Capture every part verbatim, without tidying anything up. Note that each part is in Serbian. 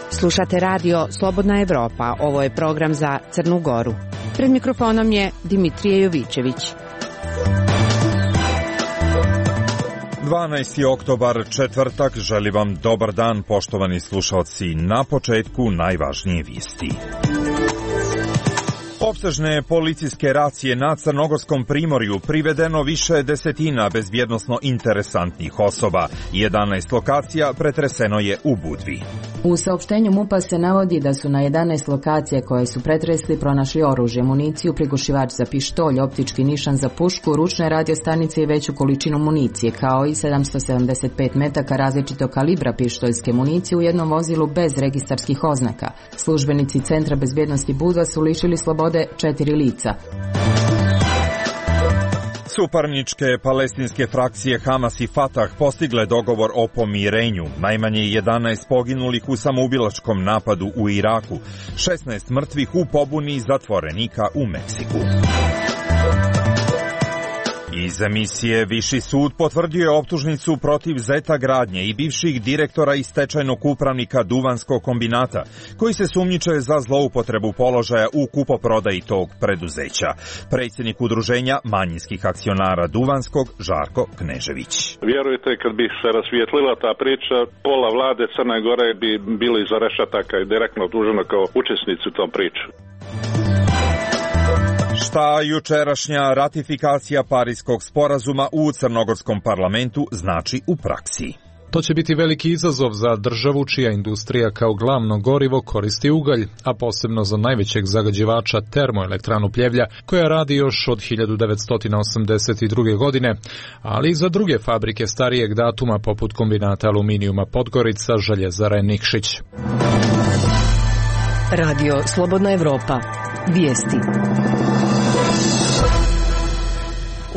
Slušate radio Slobodna Evropa, ovo je program za Crnu Goru. Pred mikrofonom je Dimitrije Jovićević. dvanaesti oktobar, četvrtak, želim vam dobar dan, poštovani slušalci. Na početku najvažnije vijesti. Opsežne policijske racije na Crnogorskom primorju, privedeno više desetina bezbjednosno interesantnih osoba. jedanaest lokacija pretreseno je u Budvi. U saopštenju MUP-a se navodi da su na jedanaest lokacija koje su pretresli pronašli oružje, municiju, prigušivač za pištolj, optički nišan za pušku, ručne radiostanice i veću količinu municije, kao i sedamsto sedamdeset pet metaka različitog kalibra pištoljske municije u jednom vozilu bez registarskih oznaka. Službenici Centra bezbjednosti Budva su lišili slobode četiri lica. Suparničke palestinske frakcije Hamas i Fatah postigle dogovor o pomirenju. Najmanje jedanaest poginulih u samoubilačkom napadu u Iraku, šesnaest mrtvih u pobuni zatvorenika u Meksiku. Iz emisije Viši sud potvrdio je optužnicu protiv Zeta Gradnje i bivših direktora i stečajnog upravnika Duvanskog kombinata, koji se sumnjiče za zloupotrebu položaja u kupoprodaji tog preduzeća. Predsjednik udruženja manjinskih akcionara Duvanskog, Žarko Knežević. Vjerujte, kad bi se rasvijetlila ta priča, pola vlade Crne Gore bi bili iza rešetaka i direktno optuženo kao učesnici u tom priču. Šta jučerašnja ratifikacija Pariskog sporazuma u crnogorskom parlamentu znači u praksi? To će biti veliki izazov za državu čija industrija kao glavno gorivo koristi ugalj, a posebno za najvećeg zagađivača termoelektranu Pljevlja, koja radi još od hiljadu devetsto osamdeset druge. godine, ali i za druge fabrike starijeg datuma poput kombinata aluminijuma Podgorica, željezare Nikšić. Radio Slobodna Evropa. Vijesti.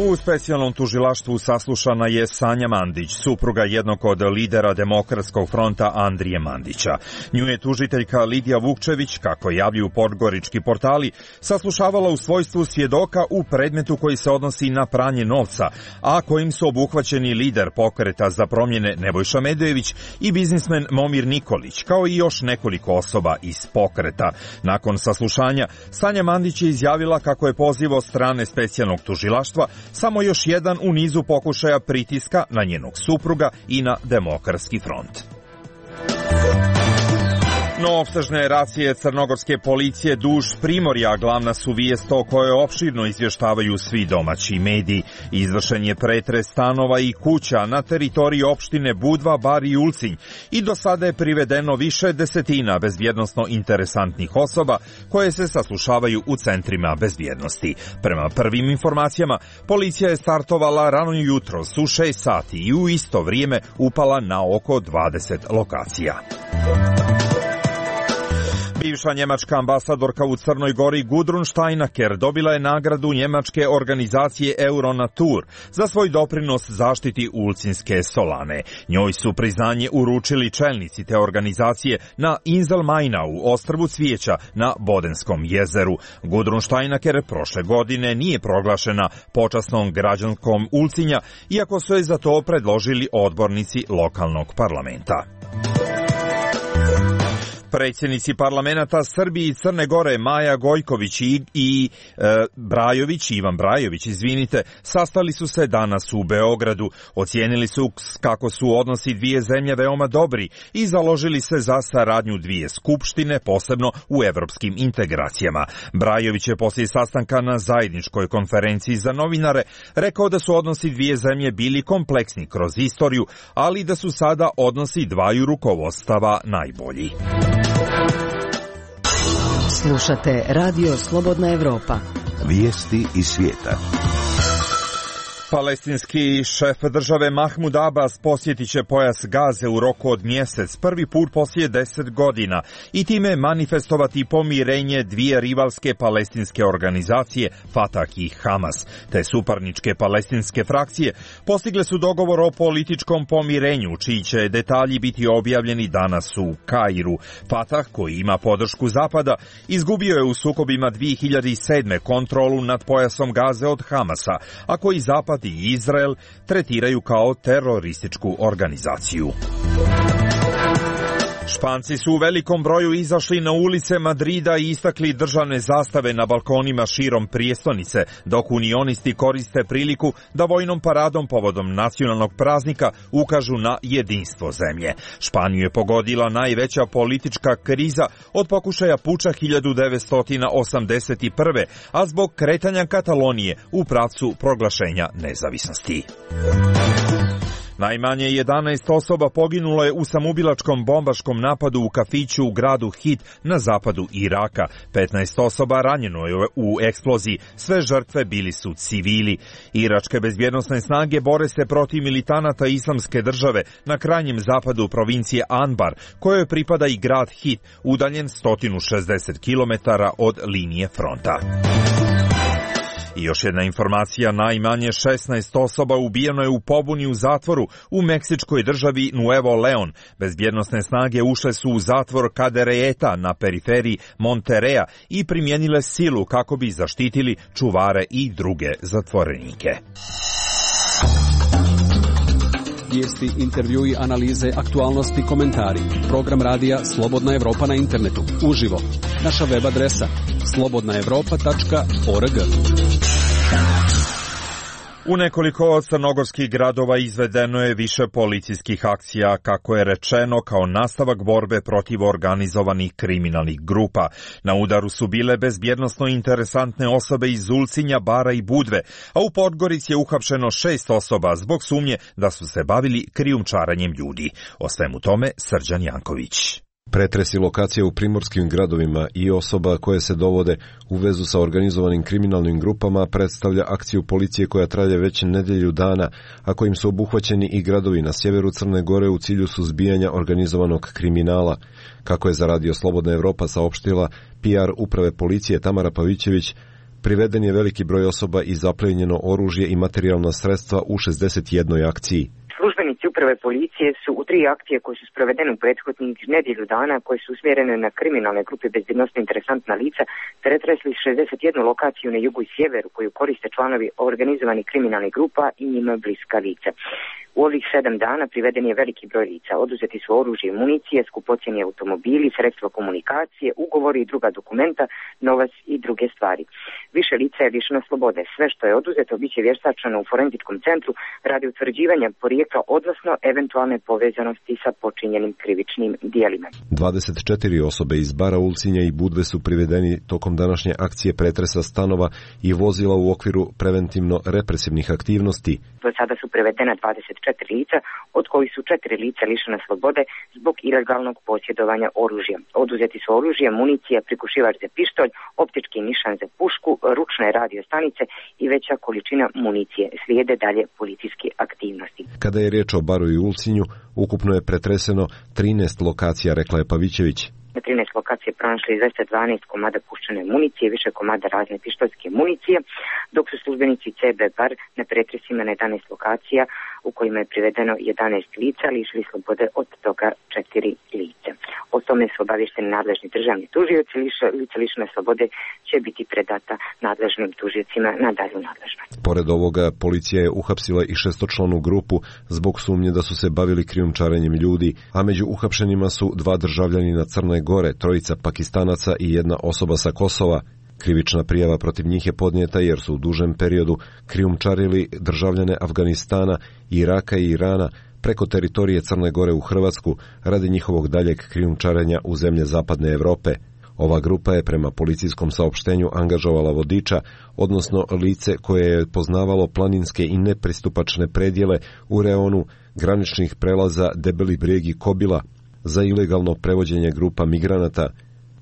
U specijalnom tužilaštvu saslušana je Sanja Mandić, supruga jednog od lidera Demokratskog fronta Andrije Mandića. Nju je tužiteljka Lidija Vukčević, kako javljuju podgorički portali, saslušavala u svojstvu svjedoka u predmetu koji se odnosi na pranje novca, a kojim su obuhvaćeni lider Pokreta za promjene Nebojša Medojević i biznismen Momir Nikolić, kao i još nekoliko osoba iz Pokreta. Nakon saslušanja, Sanja Mandić je izjavila kako je poziv od strane specijalnog tužilaštva samo još jedan u nizu pokušaja pritiska na njenog supruga i na Demokratski front. No, opsežne racije crnogorske policije duž Primorja glavna su vijest o kojoj opširno izvještavaju svi domaći mediji. Izvršen je pretres stanova i kuća na teritoriji opštine Budva, Bar i Ulcinj i do sada je privedeno više desetina bezbjednosno interesantnih osoba koje se saslušavaju u centrima bezbjednosti. Prema prvim informacijama, policija je startovala rano jutros u šest sati i u isto vrijeme upala na oko dvadeset lokacija. Bivša njemačka ambasadorka u Crnoj Gori Gudrun Steinaker dobila je nagradu njemačke organizacije Euronatur za svoj doprinos zaštiti ulcinske solane. Njoj su priznanje uručili čelnici te organizacije na Inselmainau, ostrvu Cvijeća na Bodenskom jezeru. Gudrun Steinaker prošle godine nije proglašena počasnom građankom Ulcinja, iako su je za to predložili odbornici lokalnog parlamenta. Predsjednici parlamenta Srbije i Crne Gore Maja Gojković i, i e, Brajović, Ivan Brajović, izvinite, sastali su se danas u Beogradu. Ocijenili su kako su odnosi dvije zemlje veoma dobri i založili se za saradnju dvije skupštine, posebno u evropskim integracijama. Brajović je poslije sastanka na zajedničkoj konferenciji za novinare rekao da su odnosi dvije zemlje bili kompleksni kroz istoriju, ali da su sada odnosi dvaju rukovodstava najbolji. Slušate Radio Slobodna Evropa. Vijesti iz svijeta. Palestinski šef države Mahmud Abbas posjetit će pojas Gaze u roku od mjesec, prvi put poslije deset godina, i time manifestovati pomirenje dvije rivalske palestinske organizacije, Fatah i Hamas. Te suparničke palestinske frakcije postigle su dogovor o političkom pomirenju, čiji će detalji biti objavljeni danas u Kairu. Fatah, koji ima podršku Zapada, izgubio je u sukobima dvije hiljade sedme kontrolu nad pojasom Gaze od Hamasa, a koji Zapad i Izrael tretiraju kao terorističku organizaciju. Španci su u velikom broju izašli na ulice Madrida i istakli državne zastave na balkonima širom prijestolnice, dok unionisti koriste priliku da vojnom paradom povodom nacionalnog praznika ukažu na jedinstvo zemlje. Španiju je pogodila najveća politička kriza od pokušaja puča hiljadu devetsto osamdeset prve. a zbog kretanja Katalonije u pravcu proglašenja nezavisnosti. Najmanje jedanaest osoba poginulo je u samoubilačkom bombaškom napadu u kafiću u gradu Hit na zapadu Iraka. petnaest osoba ranjeno je u eksploziji, sve žrtve bili su civili. Iračke bezbjednosne snage bore se protiv militanata Islamske države na krajnjem zapadu provincije Anbar, kojoj pripada i grad Hit, udaljen sto šezdeset kilometara od linije fronta. I još jedna informacija, najmanje šesnaest osoba ubijeno je u pobuni u zatvoru u meksičkoj državi Nuevo Leon. Bezbjednosne snage ušle su u zatvor Cadereyta na periferiji Monterreja i primijenile silu kako bi zaštitili čuvare i druge zatvorenike. Vijesti, intervjui, analize, aktualnosti, komentari. Program radija Slobodna Evropa na internetu. Uživo. Naša web adresa slobodna evropa tačka org. U nekoliko crnogorskih gradova izvedeno je više policijskih akcija, kako je rečeno, kao nastavak borbe protiv organizovanih kriminalnih grupa. Na udaru su bile bezbjednosno interesantne osobe iz Ulcinja, Bara i Budve, a u Podgorici je uhapšeno šest osoba zbog sumnje da su se bavili krijumčarenjem ljudi. O svemu tome Srđan Janković. Pretresi lokacija u primorskim gradovima i osoba koje se dovode u vezu sa organizovanim kriminalnim grupama predstavlja akciju policije koja traje već nedelju dana, a kojim su obuhvaćeni i gradovi na sjeveru Crne Gore u cilju suzbijanja organizovanog kriminala. Kako je za Radio Slobodna Evropa saopštila P R uprave policije Tamara Pavićević, priveden je veliki broj osoba i zaplijenjeno oružje i materijalna sredstva u šezdeset jednoj akciji. Službenici uprave policije su u tri akcije koje su sprovedene u prethodnih nedjelju dana, koje su usmjerene na kriminalne grupe bezbjednosno interesantna lica, pretresli šezdeset jednu lokaciju na jugu i sjeveru koju koriste članovi organizovanih kriminalnih grupa i njima bliska lica. U ovih sedam dana priveden je veliki broj lica. Oduzeti su oružje i municije, skupocjeni automobili, sredstva komunikacije, ugovori i druga dokumenta, novac i druge stvari. Više lica je lišeno slobode. Sve što je oduzeto bit će vještačeno u forenzičkom centru radi utvrđivanja porijekla, odnosno eventualne povezanosti sa počinjenim krivičnim dijelima. dvadeset četiri osobe iz Bara, Ulcinja i Budve su privedeni tokom današnje akcije pretresa stanova i vozila u okviru preventivno-represivnih aktivnosti. Do sada su prevedena dvadeset četiri lica, od kojih su četiri lica lišena slobode zbog ilegalnog posjedovanja oružja. Oduzeti su oružje, municija, prikušivač za pištolj, optički nišan za pušku, ručne radio stanice i veća količina municije. Slijede dalje policijske aktivnosti. Kada je riječ o Baru i Ulcinju, ukupno je pretreseno trinaest lokacija, rekla je Pavićević. Na trinaest lokacije pronašli dvesta dvanaest komada puščane municije, više komada razne pištoljske municije, dok su službenici C B Bar na pretresima na jedanaest lokacija u kojima je privedeno jedanaest lica, lišili slobode od toga četiri lice. O tome su obavješteni nadležni državni tužioci, lica lišene slobode će biti predata nadležnim tužiocima na dalju nadležnost. Pored ovoga, policija je uhapsila i šestočlanu grupu zbog sumnje da su se bavili krijumčarenjem ljudi, a među uhapšenima su dva državljanina Crne Gore, trojica Pakistanaca i jedna osoba sa Kosova. Krivična prijava protiv njih je podnijeta jer su u dužem periodu krijumčarili državljane Afganistana, Iraka i Irana preko teritorije Crne Gore u Hrvatsku radi njihovog daljeg krijumčarenja u zemlje zapadne Europe. Ova grupa je prema policijskom saopštenju angažovala vodiča, odnosno lice koje je poznavalo planinske i nepristupačne predjele u reonu graničnih prelaza Debeli Brijeg i Kobila za ilegalno prevođenje grupa migranata.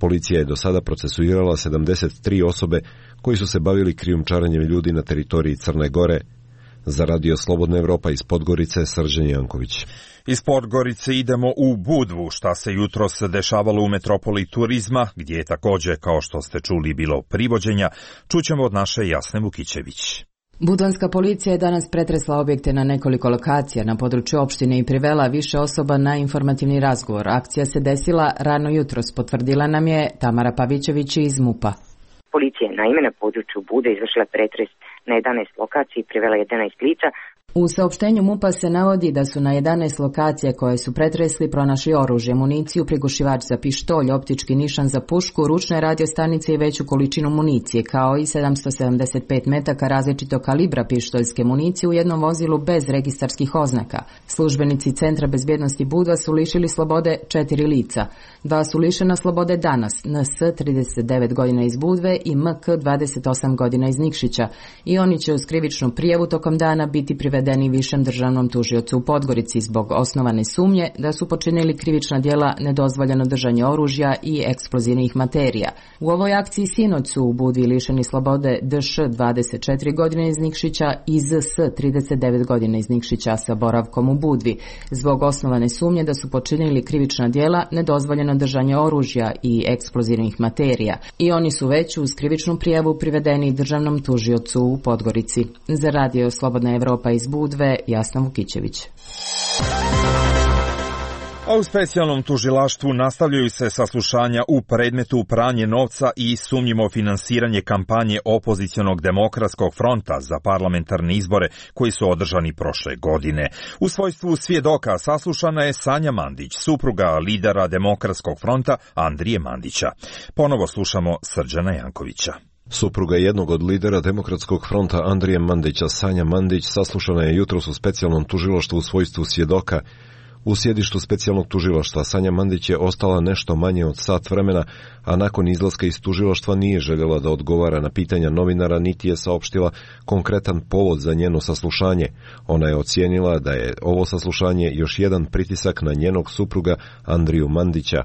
Policija je do sada procesuirala sedamdeset tri osobe koji su se bavili krijumčarenjem ljudi na teritoriji Crne Gore. Za Radio Slobodna Evropa iz Podgorice, Srđan Janković. Iz Podgorice idemo u Budvu, šta se jutros dešavalo u metropoli turizma, gdje je također, kao što ste čuli, bilo privođenja. Čućemo od naše Jasne Vukićević. Budvanska policija je danas pretresla objekte na nekoliko lokacija na području opštine i privela više osoba na informativni razgovor. Akcija se desila rano jutros, potvrdila nam je Tamara Pavićević iz MUP-a. Policija je naime na području Bude izvršila pretres na jedanaest lokacija i privela jedanaest lica. U saopštenju MUP-a se navodi da su na jedanaest lokacija koje su pretresli pronašli oružje, municiju, prigušivač za pištolj, optički nišan za pušku, ručne radiostanice i veću količinu municije, kao i sedamsto sedamdeset pet metaka različitog kalibra pištoljske municije u jednom vozilu bez registarskih oznaka. Službenici Centra bezbjednosti Budva su lišili slobode četiri lica. Dva su lišena slobode danas, N S trideset devet godina iz Budve i M K dvadeset osam godina iz Nikšića, i oni će uz krivičnu prijavu tokom dana biti privedeni višem državnom tužiocu u Podgorici zbog osnovane sumnje da su počinili krivična djela nedozvoljeno držanje oružja i eksplozivnih materija. U ovoj akciji sinoć su u Budvi lišeni slobode D Š dvadeset četiri godine iz Nikšića i Z S trideset devet godina iz Nikšića sa boravkom u Budvi zbog osnovane sumnje da su počinili krivična djela nedozvoljeno držanje oružja i eksplozivnih materija, i oni su već uz krivičnu prijavu privedeni državnom tužiocu u Podgorici. Za Radio Slobodna Evropa iz Budve, Jasna Vukićević. A u specijalnom tužilaštvu nastavljaju se saslušanja u predmetu pranje novca i sumnjivo finansiranje kampanje opozicionog demokratskog fronta za parlamentarne izbore koji su održani prošle godine. U svojstvu svjedoka saslušana je Sanja Mandić, supruga lidera demokratskog fronta Andrije Mandića. Ponovo slušamo Srđana Jankovića. Supruga jednog od lidera Demokratskog fronta Andrije Mandića, Sanja Mandić, saslušana je jutros u specijalnom tužilaštvu u svojstvu svjedoka. U sjedištu specijalnog tužilaštva Sanja Mandić je ostala nešto manje od sat vremena, a nakon izlaska iz tužilaštva nije željela da odgovara na pitanja novinara, niti je saopštila konkretan povod za njeno saslušanje. Ona je ocijenila da je ovo saslušanje još jedan pritisak na njenog supruga Andriju Mandića.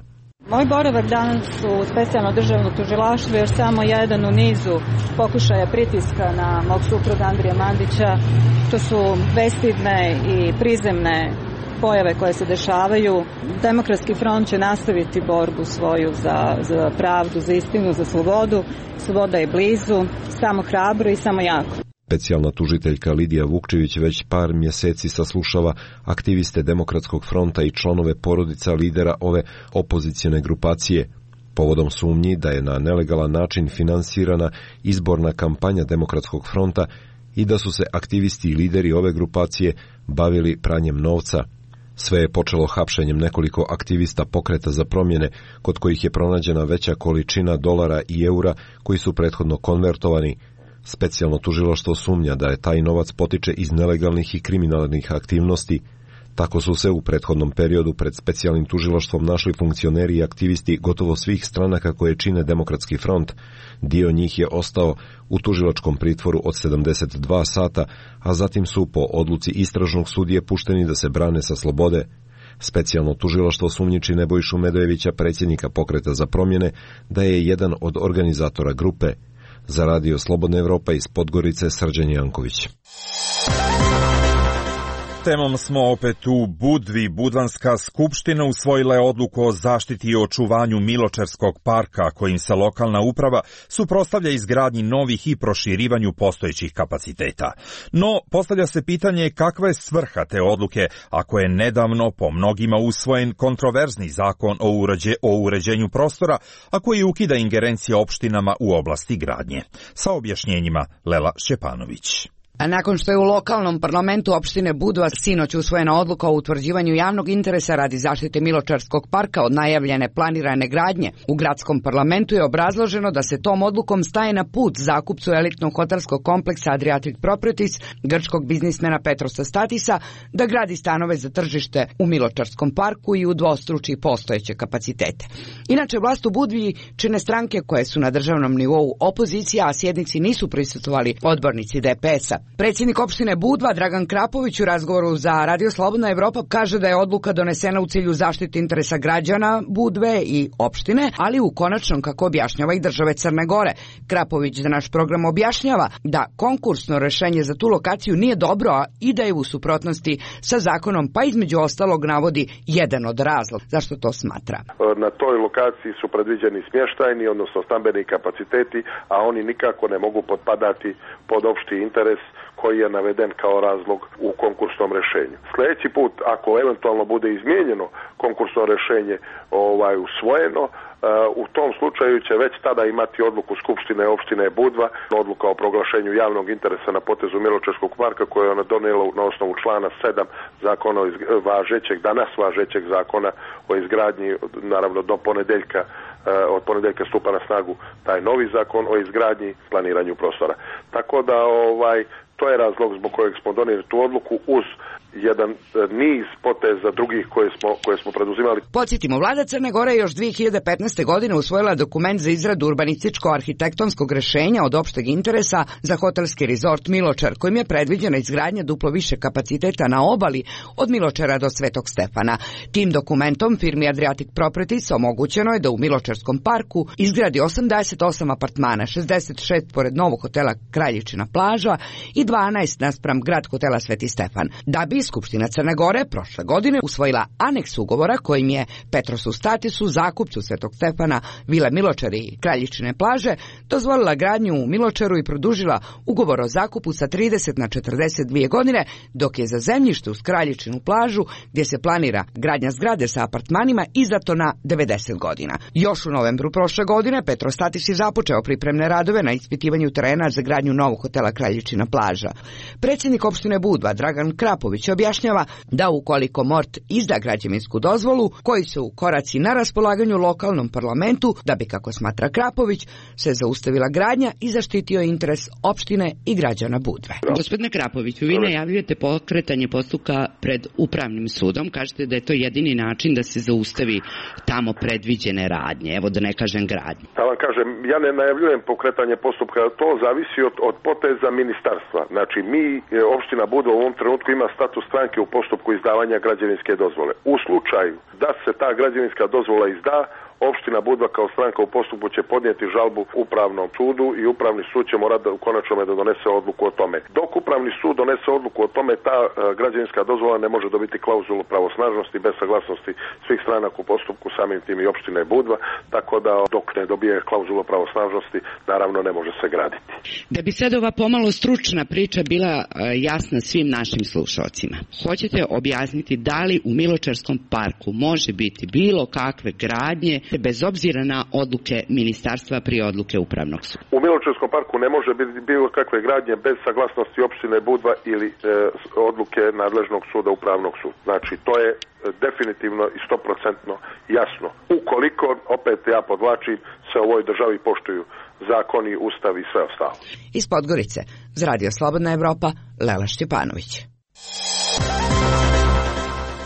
Moj boravak danas u specijalno državno tužilaštvo je samo jedan u nizu pokušaja pritiska na mog supruga Andrija Mandića. To su bestidne i prizemne pojave koje se dešavaju. Demokratski front će nastaviti borbu svoju za, za pravdu, za istinu, za slobodu. Sloboda je blizu, samo hrabro i samo jako. Specijalna tužiteljka Lidija Vukčević već par mjeseci saslušava aktiviste Demokratskog fronta i članove porodica lidera ove opozicione grupacije, povodom sumnji da je na nelegalan način finansirana izborna kampanja Demokratskog fronta i da su se aktivisti i lideri ove grupacije bavili pranjem novca. Sve je počelo hapšenjem nekoliko aktivista Pokreta za promjene, kod kojih je pronađena veća količina dolara i eura koji su prethodno konvertovani. Specijalno tužilaštvo sumnja da je taj novac potiče iz nelegalnih i kriminalnih aktivnosti. Tako su se u prethodnom periodu pred specijalnim tužilaštvom našli funkcioneri i aktivisti gotovo svih stranaka koje čine Demokratski front. Dio njih je ostao u tužilačkom pritvoru od sedamdeset dva sata, a zatim su po odluci istražnog sudije pušteni da se brane sa slobode. Specijalno tužilaštvo sumnjiči Nebojšu Medojevića, predsjednika Pokreta za promjene, da je jedan od organizatora grupe. Za Radio Slobodna Evropa iz Podgorice, Srđan Janković. Temom smo opet u Budvi. Budvanska skupština usvojila je odluku o zaštiti i očuvanju Miločerskog parka, kojim se lokalna uprava suprotstavlja izgradnji novih i proširivanju postojećih kapaciteta. No, postavlja se pitanje kakva je svrha te odluke, ako je nedavno po mnogima usvojen kontroverzni zakon o, uređe, o uređenju prostora, a koji ukida ingerencije opštinama u oblasti gradnje. Sa objašnjenjima Lela Šćepanović. A nakon što je u lokalnom parlamentu opštine Budva sinoć usvojena odluka o utvrđivanju javnog interesa radi zaštite Miločarskog parka od najavljene planirane gradnje, u gradskom parlamentu je obrazloženo da se tom odlukom staje na put zakupcu elitnog hotelskog kompleksa Adriatic Properties, grčkog biznismena Petrosa Statisa, da gradi stanove za tržište u Miločarskom parku i udvostruči postojeće kapacitete. Inače, vlast u Budvi čine stranke koje su na državnom nivou opozicija, a sjednici nisu prisustvovali odbornici D P S-a. Predsjednik opštine Budva Dragan Krapović u razgovoru za Radio Slobodna Evropa kaže da je odluka donesena u cilju zaštite interesa građana Budve i opštine, ali u konačnom, kako objašnjava i države Crne Gore. Krapović za naš program objašnjava da konkursno rešenje za tu lokaciju nije dobro, a i da je u suprotnosti sa zakonom, pa između ostalog navodi jedan od razloga zašto to smatra. Na toj lokaciji su predviđeni smještajni, odnosno stambeni kapaciteti, a oni nikako ne mogu potpadati pod opšti interes koji je naveden kao razlog u konkursnom rešenju. Sljedeći put, ako eventualno bude izmijenjeno konkursno rešenje ovaj usvojeno, u tom slučaju će već tada imati odluku Skupštine opštine Budva, odluka o proglašenju javnog interesa na potezu Miločarskog parka koje je ona donijela na osnovu člana sedam zakona važećeg, danas važećeg zakona o izgradnji, naravno do ponedeljka, od ponedeljka stupa na snagu taj novi zakon o izgradnji i planiranju prostora. Tako da ovaj to je razlog zbog kojeg smo donijeli tu odluku uz jedan niz poteza drugih koje smo, koje smo preduzimali. Podsjetimo, vlada Crne Gore još dve hiljade petnaeste. godine usvojila dokument za izradu urbanističko-arhitektonskog rešenja od opšteg interesa za hotelski rezort Miločar, kojim je predviđena izgradnja duplo više kapaciteta na obali od Miločara do Svetog Stefana. Tim dokumentom firmi Adriatic Properties omogućeno je da u Miločarskom parku izgradi osamdeset osam apartmana, šezdeset šest pored novog hotela Kraljičina plaža i dvanaest naspram grad hotela Sveti Stefan. Da bi Skupština Crne Gore prošle godine usvojila aneks ugovora kojim je Petrosu Statisu, zakupcu Svetog Stefana, Vile Miločar i Kraljičine plaže, dozvolila gradnju u Miločaru i produžila ugovor o zakupu sa trideset na četrdeset dvije godine, dok je za zemljište uz Kraljičinu plažu, gdje se planira gradnja zgrade sa apartmanima, izdato na devedeset godina. Još u novembru prošle godine Petro Statis je započeo pripremne radove na ispitivanju terena za gradnju novog hotela Kraljičina plaža. Predsjednik opštine Budva Dragan Krapović objašnjava da ukoliko Mort izda građevinsku dozvolu, koji su koraci na raspolaganju lokalnom parlamentu, da bi, kako smatra Krapović, se zaustavila gradnja i zaštitio interes opštine i građana Budve. Gospodine Krapoviću, vi najavljujete pokretanje postupka pred upravnim sudom, kažete da je to jedini način da se zaustavi tamo predviđene radnje, evo da ne kažem gradnje. Ja vam kažem, ja ne najavljujem pokretanje postupka, to zavisi od, od poteza ministarstva. Znači, mi, opština Budva u ovom trenutku ima status stranke u postupku izdavanja građevinske dozvole. U slučaju da se ta građevinska dozvola izda, opština Budva kao stranka u postupku će podnijeti žalbu upravnom sudu i upravni sud će morati u konačnome da donese odluku o tome. Dok upravni sud donese odluku o tome, ta uh, građevinska dozvola ne može dobiti klauzulu pravosnažnosti bez saglasnosti svih stranaka u postupku, samim tim i opštine Budva, tako da dok ne dobije klauzulu pravosnažnosti, naravno ne može se graditi. Da bi sad ova pomalo stručna priča bila uh, jasna svim našim slušalcima, hoćete objasniti da li u Miločarskom parku može biti bilo kakve gradnje bez obzira na odluke ministarstva prije odluke upravnog suda? U Miločarskom parku ne može biti bilo kakve gradnje bez saglasnosti opštine Budva ili e, odluke nadležnog suda upravnog suda. Znači, to je definitivno i sto posto jasno. Ukoliko, opet ja podvlačim, se u ovoj državi poštuju zakoni, ustav i sve ostalo. Iz Podgorice, za Radio Slobodna Evropa, Lela Šćepanović.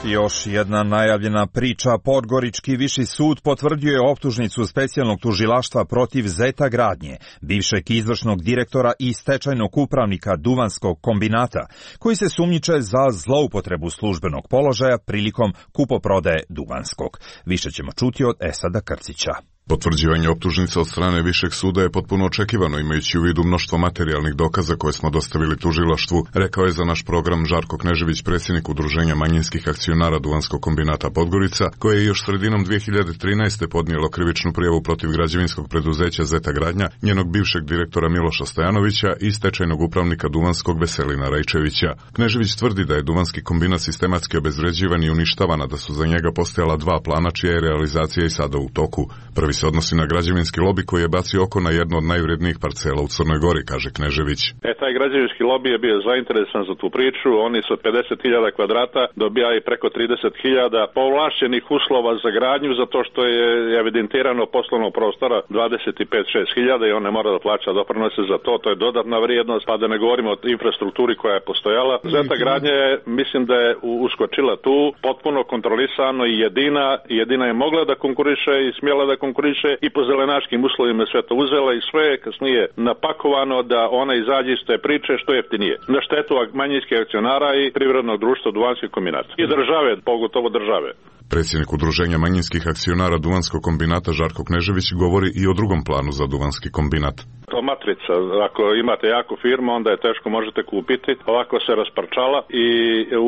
Još jedna najavljena priča. Podgorički viši sud potvrdio je optužnicu specijalnog tužilaštva protiv Zeta Gradnje, bivšeg izvršnog direktora i stečajnog upravnika Duvanskog kombinata, koji se sumnjiče za zloupotrebu službenog položaja prilikom kupoprodaje Duvanskog. Više ćemo čuti od Esada Krcića. Potvrđivanje optužnica od strane Višeg suda je potpuno očekivano, imajući u vidu mnoštvo materijalnih dokaza koje smo dostavili tužilaštvu, rekao je za naš program Žarko Knežević, predsjednik Udruženja manjinskih akcionara Duvanskog kombinata Podgorica, koje je još sredinom dve hiljade trinaeste. podnijelo krivičnu prijavu protiv građevinskog preduzeća Zeta Gradnja, njenog bivšeg direktora Miloša Stojanovića i stečajnog upravnika Duvanskog Veselina Rajčevića. Knežević tvrdi da je Duvanski kombinat sistematski obezvređivan i uništavan, a da su za njega postojala dva plana čija je realizacija i sada u toku. Prvi se odnosi na građevinski lobi koji je bacio oko na jednu od najvrednijih parcela u Crnoj Gori, kaže Knežević. E, taj građevinski lobi je bio zainteresan za tu priču, oni su pedeset hiljada kvadrata dobijali preko trideset hiljada povlašćenih uslova za gradnju, zato što je evidentirano poslovnog prostora dvadeset pet do šest hiljada i on ne mora da plaća doprinose za to, to je dodatna vrijednost, pa da ne govorimo o infrastrukturi koja je postojala. Zeta Gradnja je, mislim da je uskočila tu, potpuno kontrolisano i jedina, jedina je mogla da konkuriše i smjela da konkuriše konkuriše i po zelenaškim uslovima sve to uzela i sve je kasnije napakovano da ona izađe iz te priče što je jeftinije. Na štetu manjinskih akcionara i privrednog društva Duvanski kombinat. I države, pogotovo države. Predsjednik Udruženja manjinskih akcionara Duvanskog kombinata Žarko Knežević govori i o drugom planu za Duvanski kombinat. To matrica, ako imate jaku firmu, onda je teško možete kupiti, ovako se rasparčala i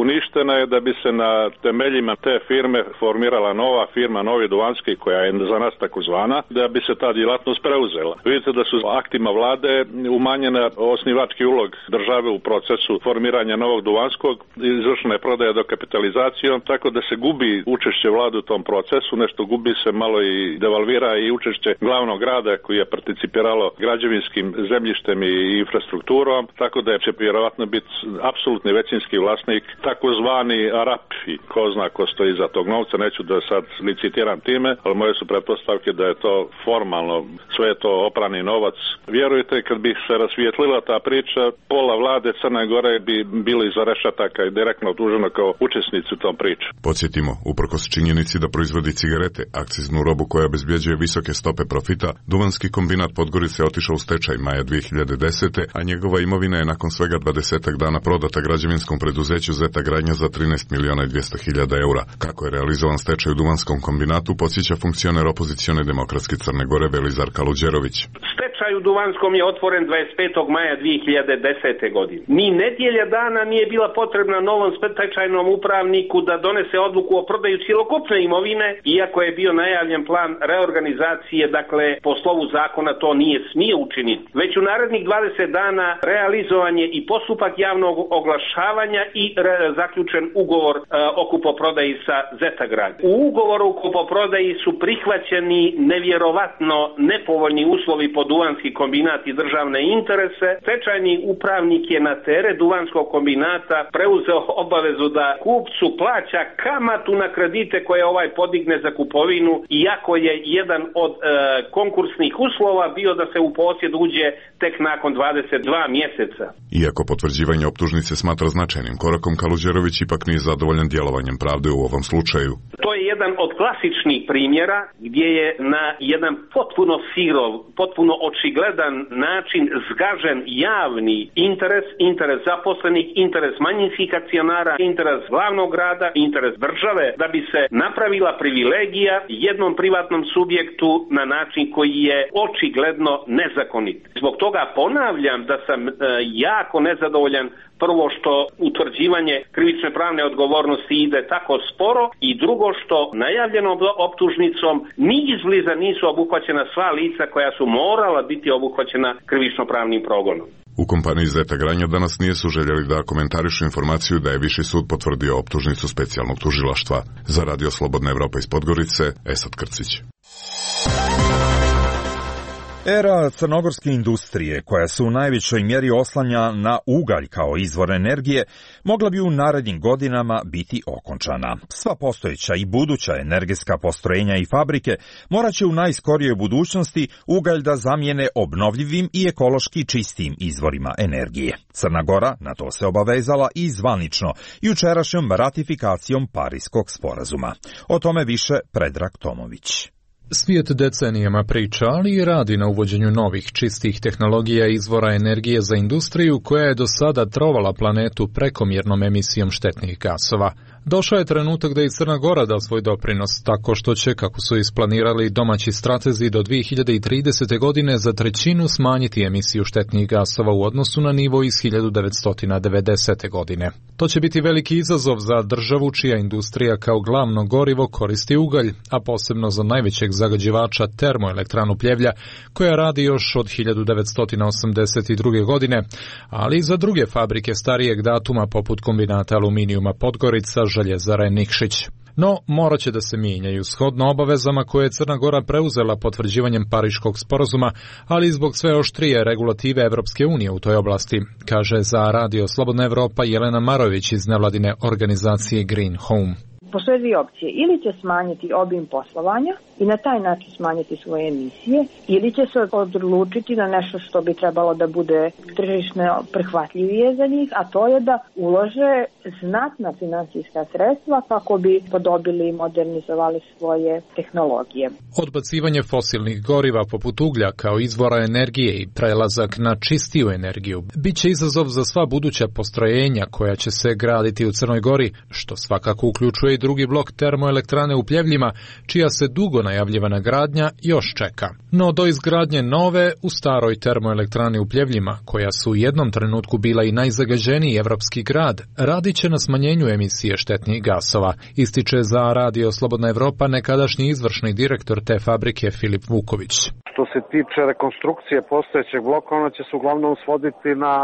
uništena je da bi se na temeljima te firme formirala nova firma, Novi Duvanski, koja je za nas takozvana, da bi se ta djelatnost preuzela. Vidite da su aktima vlade umanjena osnivački ulog države u procesu formiranja Novog Duvanskog, izvršena je prodaja dokapitalizacijom, tako da se gubi učešće vlade u tom procesu, nešto gubi se malo i devalvira i učešće glavnog grada koji je participiralo građevinskim zemljištem i infrastrukturom, tako da će vjerovatno biti apsolutni većinski vlasnik, takozvani Arap, i ko zna ko stoji iza tog novca, neću da sad licitiram time, ali moje su pretpostavke da je to formalno, sve je to oprani novac. Vjerujte, kad bi se rasvijetlila ta priča, pola vlade Crne Gore bi bilo iza rešetaka i direktno optuženo kao učesnici u tom priču. Podsjetimo, uprkos činjenici da proizvodi cigarete, akciznu robu koja obezbjeđuje visoke stope profita, Duvanski kombinat Podgorice otišao u stečaj maja dvije hiljade desete. a njegova imovina je nakon svega dvadesetak dana prodata građevinskom preduzeću Zeta Gradnja za trinaest miliona i dvjesto hiljada eura. Kako je realizovan stečaj u Duvanskom kombinatu, podsjeća funkcioner opozicione demokratske Crne Gore Velizar Kaluđerović. Stečaj u Duvanskom je otvoren dvadeset petog maja dvije hiljade desete. godine. Ni nedjelja dana nije bila potrebna novom stečajnom upravniku da donese odluku o prodaju cjelokupne imovine, iako je bio najavljen plan reorganizacije, dakle po slovu zakona to nije smio učiniti. Već u narednih dvadeset dana realizovan je i postupak javnog oglašavanja i re- zaključen ugovor e, o kupoprodaji sa Zeta Gradnja. U ugovoru o kupoprodaji su prihvaćeni nevjerovatno nepovoljni uslovi po Duvanski kombinat i državne interese. Stečajni upravnik je na teret Duvanskog kombinata preuzeo obavezu da kupcu plaća kamatu na kredite koje ovaj podigne za kupovinu, iako je jedan od e, konkursnih uslova bio da se u posjed uđe tek nakon dvadeset dva mjeseca. Iako potvrđivanje optužnice smatra značajnim korakom, Kaluđerović ipak nije zadovoljan djelovanjem pravde u ovom slučaju. To je jedan od klasičnih primjera gdje je na jedan potpuno sirov, potpuno očigledan način zgažen javni interes, interes zaposlenih, interes manjinskih akcionara, interes glavnog grada, interes države, da bi se napravila privilegija jednom privatnom subjektu na način koji je očigledno nezakonit. Zbog toga ponavljam da sam e, jako nezadovoljan, prvo što utvrđivanje krivične pravne odgovornosti ide tako sporo i drugo što najavljenom optužnicom ni izbliza nisu obuhvaćena sva lica koja su morala biti obuhvaćena krivično pravnim progonom. U kompaniji Zeta Gradnja danas nisu željeli da komentarišu informaciju da je Viši sud potvrdio optužnicu specijalnog tužilaštva. Za Radio Slobodna Evropa iz Podgorice, Esad Krcić. Era crnogorske industrije, koja se u najvećoj mjeri oslanja na ugalj kao izvor energije, mogla bi u narednim godinama biti okončana. Sva postojeća i buduća energetska postrojenja i fabrike morat će u najskorijoj budućnosti ugalj da zamijene obnovljivim i ekološki čistim izvorima energije. Crna Gora na to se obavezala i zvanično jučerašnjom ratifikacijom Pariskog sporazuma. O tome više Predrag Tomović. Svijet decenijama priča, ali i radi na uvođenju novih čistih tehnologija i izvora energije za industriju koja je do sada trovala planetu prekomjernom emisijom štetnih gasova. Došao je trenutak da i Crna Gora da svoj doprinos, tako što će, kako su isplanirali domaći stratezi, do dvije hiljade tridesete. godine za trećinu smanjiti emisiju štetnih gasova u odnosu na nivo iz hiljadu devetsto devedesete. godine. To će biti veliki izazov za državu čija industrija kao glavno gorivo koristi ugalj, a posebno za najvećeg zagađivača termoelektranu Pljevlja, koja radi još od hiljadu devetsto osamdeset druge. godine, ali i za druge fabrike starijeg datuma poput kombinata aluminijuma Podgorica, Željezara Nikšić. No, morat će da se mijenjaju shodno obavezama koje je Crna Gora preuzela potvrđivanjem Pariškog sporazuma, ali i zbog sve oštrije regulative Evropske unije u toj oblasti, kaže za Radio Slobodna Evropa Jelena Marović iz nevladine organizacije Green Home. Postoje dvije opcije. Ili će smanjiti obim poslovanja i na taj način smanjiti svoje emisije, ili će se odlučiti na nešto što bi trebalo da bude tržišno prihvatljivije za njih, a to je da ulože znatna finansijska sredstva kako bi podobili i modernizovali svoje tehnologije. Odbacivanje fosilnih goriva poput uglja kao izvora energije i prelazak na čistiju energiju biće izazov za sva buduća postrojenja koja će se graditi u Crnoj Gori, što svakako uključuje i drugi blok termoelektrane u Pljevljima, čija se dugo najavljivana gradnja još čeka. No do izgradnje nove u staroj termoelektrani u Pljevljima, koja su u jednom trenutku bila i najzagađeniji evropski grad, radit će na smanjenju emisije štetnih gasova, ističe za Radio Slobodna Evropa nekadašnji izvršni direktor te fabrike Filip Vuković. Što se tiče rekonstrukcije postojećeg bloka, ona će se uglavnom svoditi na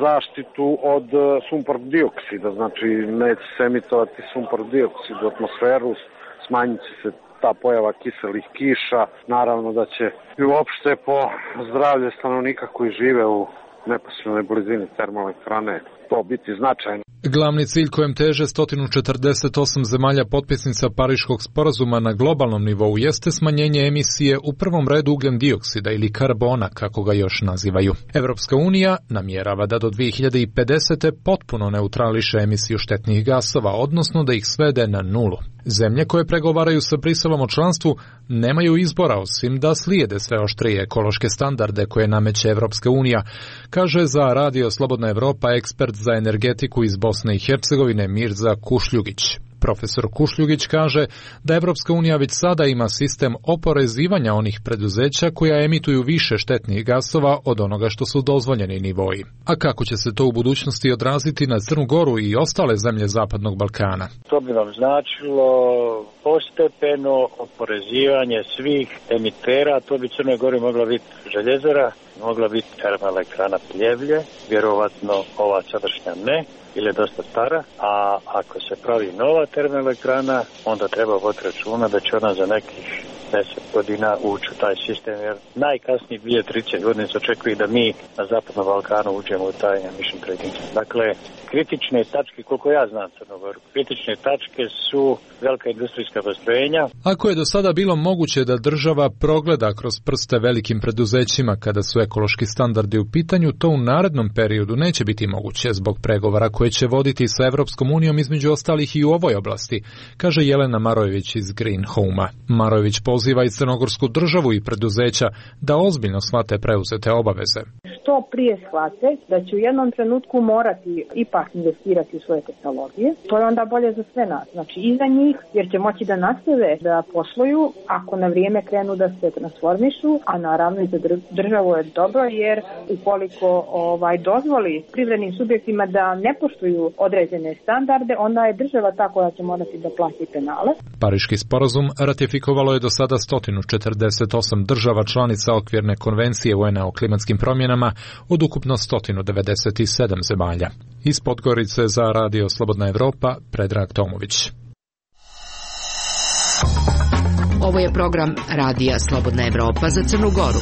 zaštitu od sumpor dioksida, znači neće se emitovati sumpor dioksid u atmosferu, smanjit će se ta pojava kiselih kiša, naravno da će i uopšte po zdravlje stanovnika koji žive u neposrednoj blizini termoelektrane to biti značajno. Glavni cilj kojem teže sto četrdeset osam zemalja potpisnica Pariškog sporazuma na globalnom nivou jeste smanjenje emisije u prvom redu ugljen dioksida ili karbona, kako ga još nazivaju. Evropska unija namjerava da do dvije hiljade pedesete. potpuno neutrališe emisiju štetnih gasova, odnosno da ih svede na nulu. Zemlje koje pregovaraju sa Briselom o članstvu nemaju izbora osim da slijede sve oštrije ekološke standarde koje nameće Evropska unija, kaže za Radio Slobodna Evropa ekspert za energetiku iz Bosne i Hercegovine Mirza Kušljugić. Profesor Kušljugić kaže da Evropska unija već sada ima sistem oporezivanja onih preduzeća koja emituju više štetnih gasova od onoga što su dozvoljeni nivoji. A kako će se to u budućnosti odraziti na Crnu Goru i ostale zemlje Zapadnog Balkana? To bi vam značilo postepeno oporezivanje svih emitera. To bi Crnoj Gori mogla biti željezara, mogla biti termoelektrana Pljevlje, vjerovatno ova sadašnja ne, ili je dosta stara, a ako se pravi nova termoelektrana, onda treba voditi računa da će ona za nekih deset godina ući u taj sistem, jer najkasnije dvije do trideset godina se očekuje da mi na Zapadnom Balkanu uđemo u taj emission trading. Dakle, kritične tačke, koliko ja znam Crnogoru, kritične tačke su velika industrijska postrojenja. Ako je do sada bilo moguće da država progleda kroz prste velikim preduzećima kada su ekološki standardi u pitanju, to u narednom periodu neće biti moguće zbog pregovora koje će voditi sa Evropskom unijom između ostalih i u ovoj oblasti, kaže Jelena Marojević iz Green Home-a. Marojević poziva i crnogorsku državu i preduzeća da ozbiljno shvate preuzete obaveze. Što prije shvate da će u jednom trenutku morati ipak investirati u svoje tehnologije, to je onda bolje za sve nas. Znači i za njih, jer će moći da nastave da posluju ako na vrijeme krenu da se transformišu, a naravno i za državu je dobro, jer ukoliko ovaj dozvoli privrednim subjektima da ne poštuju određene standarde, onda je država ta koja će morati da plati penale. Pariški sporazum ratifikovalo je do sada sto četrdeset osam država članica okvirne konvencije U N-a o klimatskim promjenama od ukupno sto devedeset sedam zemalja. Iz Podgorice za Radio Slobodna Evropa, Predrag Tomović. Ovo je program Radija Slobodna Evropa za Crnu Goru.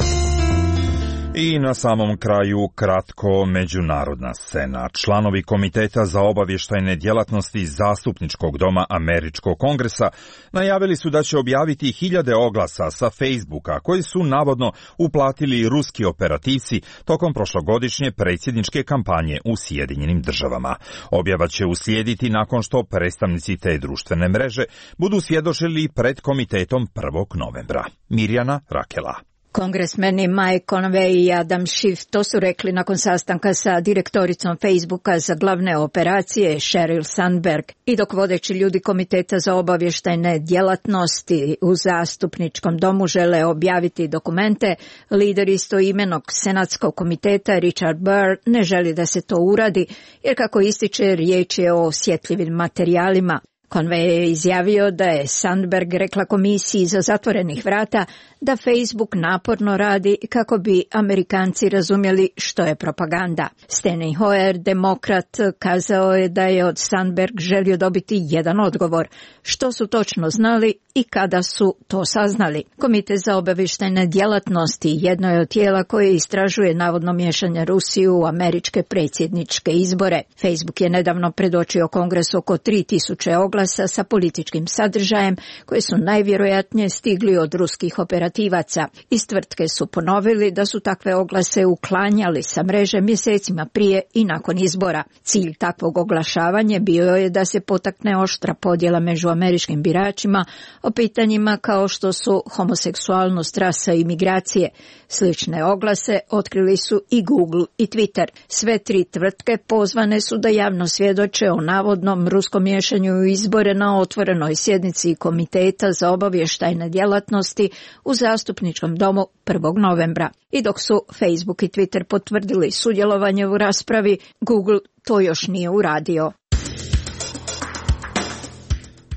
I na samom kraju kratko međunarodna scena. Članovi Komiteta za obavještajne djelatnosti Zastupničkog doma Američkog kongresa najavili su da će objaviti hiljade oglasa sa Facebooka koji su navodno uplatili ruski operativci tokom prošlogodišnje predsjedničke kampanje u Sjedinjenim državama. Objava će uslijediti nakon što predstavnici te društvene mreže budu svjedočili pred komitetom prvog novembra. Mirjana Rakela. Kongresmeni Mike Conway i Adam Schiff to su rekli nakon sastanka sa direktoricom Facebooka za glavne operacije Sheryl Sandberg. I dok vodeći ljudi Komiteta za obavještajne djelatnosti u Zastupničkom domu žele objaviti dokumente, lider istoimenog senatskog komiteta Richard Burr ne želi da se to uradi, jer kako ističe riječ je o osjetljivim materijalima. Conway je izjavio da je Sandberg rekla komisiji iza zatvorenih vrata da Facebook naporno radi kako bi Amerikanci razumjeli što je propaganda. Steny Hoyer, demokrat, kazao je da je od Sandberg želio dobiti jedan odgovor. Što su točno znali i kada su to saznali? Komitet za obavještajne djelatnosti jedno je od tijela koje istražuje navodno miješanje Rusije u američke predsjedničke izbore. Facebook je nedavno predočio Kongresu oko tri tisuće oglasa sa političkim sadržajem koje su najvjerojatnije stigli od ruskih operativaca. Iz tvrtke su ponovili da su takve oglase uklanjali sa mreže mjesecima prije i nakon izbora. Cilj takvog oglašavanja bio je da se potakne oštra podjela među američkim biračima o pitanjima kao što su homoseksualnost, rasa i migracije. Slične oglase otkrili su i Google i Twitter. Sve tri tvrtke pozvane su da javno svjedoče o navodnom ruskom miješanju u izbore na otvorenoj sjednici Komiteta za obavještajne djelatnosti u Zastupničkom domu prvog novembra. I dok su Facebook i Twitter potvrdili sudjelovanje u raspravi, Google to još nije uradio.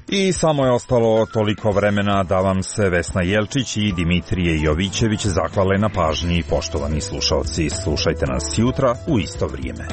I samo je ostalo toliko vremena da vam se Vesna Jelčić i Dimitrije Jovićević zahvale na pažnji. Poštovani slušalci, slušajte nas jutra u isto vrijeme.